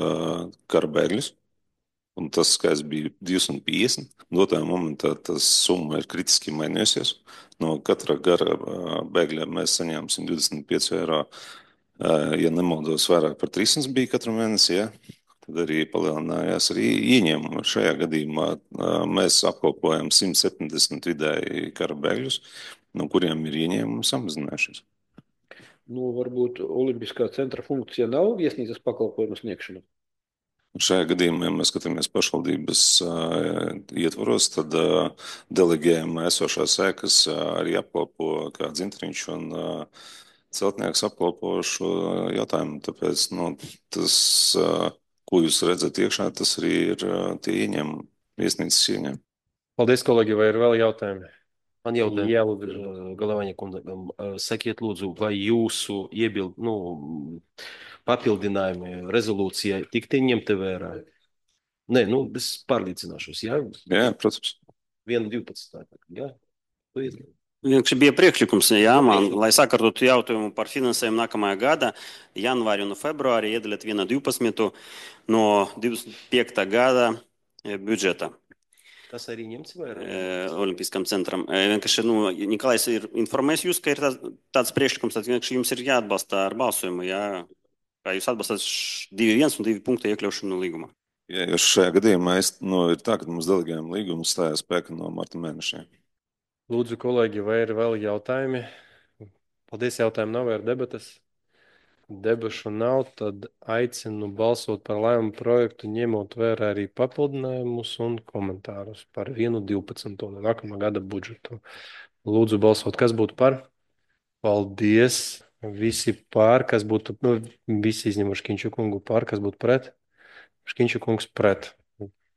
G: kara bēgļus. Un tas skaits bija 250. Dotajā momentā tas summa ir kritiski mainījusies. No katra kara bēgļa mēs saņēmām 125 eiro. Ja nemaldos, vairāk par 300 bija katru mēnesi. Ja? Tad arī palielinājās arī ieņēmumi. Šajā gadījumā mēs apkalpojam 170 vidēji kara bēgļus, no kuriem ir ieņēmumi samazinājušies.
D: Varbūt Olimpiskā centra funkcija nav viesnīcas pakalpojumu sniegšana?
G: Šajā gadījumā, ja mēs skatāmies pašvaldības ietvaros, tad delegējam esošās ēkas arī apkalpo kā Dzintriņš un celtnieks apkalpo šo jautājumu. Tāpēc tas, ko jūs redzat iekšā, tas arī ir tie ieņēmumi, viesnīcas ieņēmumi.
A: Paldies, kolēģi, vai ir vēl jautājumi?
H: Man jautājums,
A: Jā, lūdzu.
H: Galavaņa kundze, sakiet lūdzu, vai jūsu papildinājumi rezolūcijai tikti ņemti vērā? Nē, es pārliecināšos, jā?
G: Jā, protams.
H: 1.12. Jā?
I: Vienkārši bija priekšlikums, man, lai sakārtotu jautājumu par finansējumu nākamajā gada, janvāri un februāri iedalīt 1.12. no 25. gada budžeta.
H: Tas arī ņemts vērā?
I: Olimpiskam centram. Vienkārši, Nikolais ir informējis jūs, ka ir tāds priekšlikums, tad vienkārši jums ir jāatbalsta ar balsojumu, jā? Kā jūs atbalstāt 2.1 un 2 punktu iekļaušanu līgumā?
G: Jā, jo šajā gadījumā ir tā, ka mums delegējuma līgums stājās spēkā no marta mēnešiem.
A: Lūdzu, kolēģi, vai ir vēl jautājumi? Paldies, jautājumu nav, vai ir debatas? Debašu nav, tad aicinu balsot par lēmumu projektu, ņemot vērā arī papildinājumus un komentārus par 1.12. nākamā gada budžetu. Lūdzu, balsot, kas būtu par? Paldies! Visi pār, kas būtu, visi izņemuši Škiņšu kungu pār, kas būtu pret? Škiņšu kungs pret.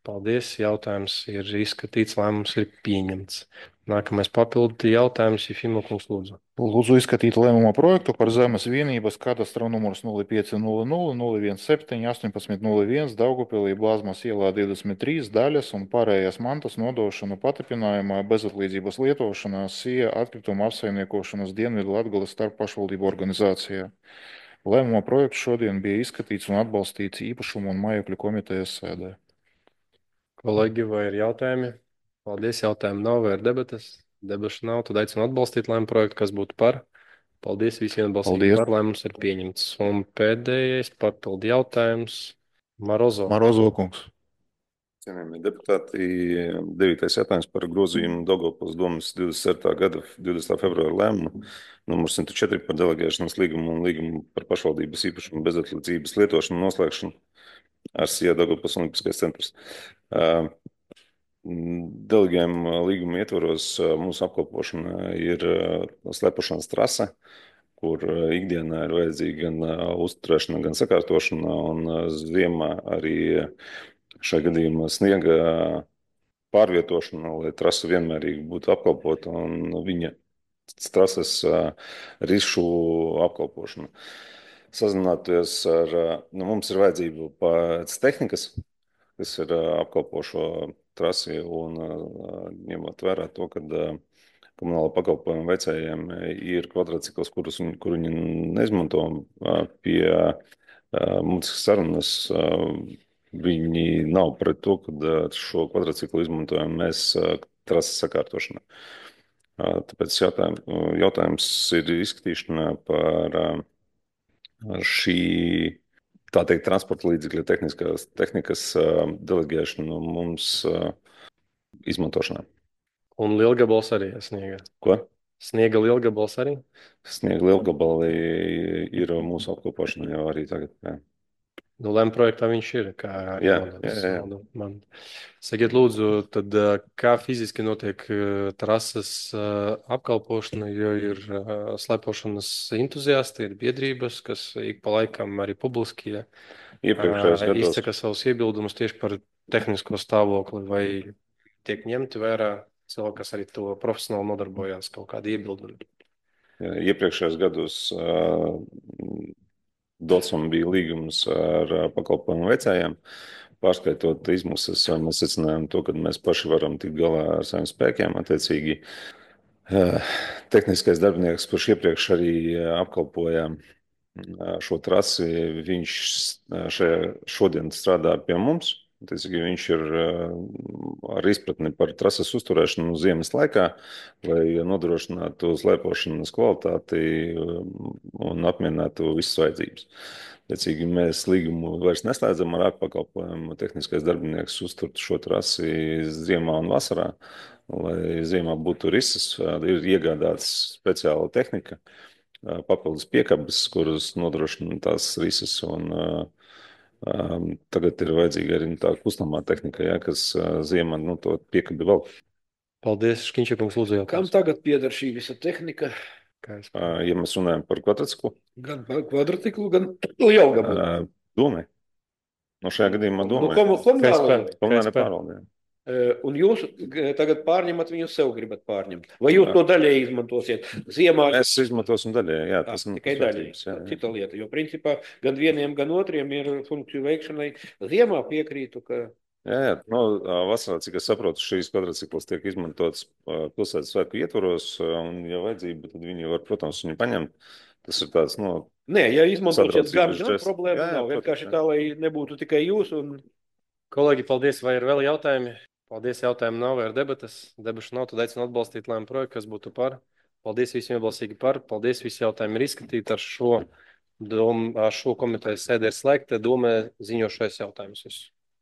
A: Paldies, jautājums ir izskatīts, lēmums ir pieņemts. Nākamais papildu jautājums, Jefimov kungs, lūdzu.
F: Lūdzu izskatīt lēmuma projektu par zemes vienības kadastra numurs 0500 017 1801 Daugavpilī Blāzmas ielā 23 daļas un pārējās mantas nodošanu patripinājumā bezatlīdzības lietošanā SIA atkrituma apsaimniekošanas Dienvidu Latgales starppašvaldību organizācijā. Lēmuma projekts šodien bija izskatīts un atbalstīts īpašumu un mājokļu komitejas sēdē.
A: Kolēģi, vai ir jautājumi? Paldies, jautājumu nav, vai ir debatas? Debašu nav, tad aicinu atbalstīt lēmumu projektu, kas būtu par. Paldies, visiem atbalstīt par, lēmums ir pieņemts. Un pēdējais papildu jautājums Marozo.
F: Marozo kungs.
G: Cienījamie deputāti, 9. jautājums par grozījumu Daugavpils domas 27. gada 20. februāra lēmumu numur 104 par delegēšanas līgumu un līgumu par pašvaldības īpašumu bezatlīdzības lietošanu noslēgšanu ar SIA Daugavpils Olimpiskais centrs. Delegējuma līguma ietvaros mūsu apkalpošana ir slepošanas trase, kur ikdienā ir vajadzīga gan uzturēšana, gan sakārtošana, un ziemā arī šajā gadījumā sniega pārvietošana, lai trasa vienmērīgi būtu apkalpota un viņa trases rišu apkalpošana. Sazināties ar, mums ir vajadzība pēc tehnikas, kas ir apkalpošo trasi, un ņemot vērā to, ka komunāla pakalpojuma veicējiem ir kvadrātcikls, kur viņi neizmanto pie mums sarunas. Viņi nav pret to, ka šo kvadrātciklu izmantojam mēs trases sakārtošanā. Tāpēc jautājums ir izskatīšanā par šī, tā teikt, transporta līdzekļa tehnikas delegēšanu mums izmantošanā.
A: Un lielgabals arī sniega.
G: Ko?
A: Sniega lielgabals arī?
G: Sniega lielgabali ir mūsu apkopošana jau arī tagad. Jā.
A: Nu, LEM projektā viņš ir, kā
G: Jā.
A: man. Sakiet, lūdzu, tad kā fiziski notiek trases apkalpošana, jo ir slepošanas entuziasti, ir biedrības, kas ik pa laikam arī publiski izsaka savus iebildumus tieši par tehnisko stāvokli, vai tiek ņemti vērā cilvēki, kas arī to profesionāli nodarbojās, kaut kādi iebildumi.
G: Iepriekšējos gados Dotsam bija līgums ar pakalpojumu veicējiem. Pārskaitot izmaksas, mēs secinājām to, ka mēs paši varam tikt galā ar saviem spēkiem. Attiecīgi, tehniskais darbinieks, kurš iepriekš arī apkalpoja šo trasi, viņš šodien strādā pie mums. Viņš ir ar izpratni par trases uzturēšanu ziemas laikā, lai nodrošinātu slēpošanas kvalitāti un apmierinātu visas vajadzības. Mēs līgumu vairs neslēdzam ar ārpakalpojumu. Tehniskais darbinieks uzturtu šo trasi ziemā un vasarā, lai ziemā būtu rises, ir iegādāts speciāla tehnika, papildus piekabes, kuras nodrošina tās rises, un tagad ir vajadzīga arī tā kustamā tehnika, kas ziemā to piekabi vēl.
A: Paldies, Škiņšakungs, lūdzu jautājums.
D: Kam tagad pieder šī visa tehnika?
G: Ja mēs runājam par kvadrātciklu?
D: Gan par kvadrātciklu, gan lielgabalu.
G: Domē. Šajā gadījumā domē.
D: Komunālajā pārvaldē. Un jūs tagad pārņemat, viņu sev gribat pārņemt. Vai jūs to daļēji izmantosiet? Ziemā
G: mēs izmantosim daļēji, jā. Tas
D: tikai daļēji. Cita lieta, jo principā gan vieniem, gan otriem ir funkciju veikšanai. Ziemā piekrītu, ka...
G: Jā, vasarā, cik es saprotu, šīs kvadrātcikls tiek izmantots pilsētas svētku ietvaros, un, ja vajadzība, tad viņi var, protams, viņu paņemt. Tas ir tāds,
D: Nē, ja izmantošiet gan problēma nav. Vienkārši tā, lai nebūtu tikai jūs un...
A: Kolēģi, paldies, vai ir vēl jautājumi? Paldies, jautājumu nav, vai ir debatas. Debašu nav, tad aicinu atbalstīt LEM projektu, kas būtu par. Paldies visiem iebalsīgi par. Paldies, visi jautājumi ir izskatīti. Ar šo komitejas sēdi ir slēgta. Domē ziņošais jautājumus visus.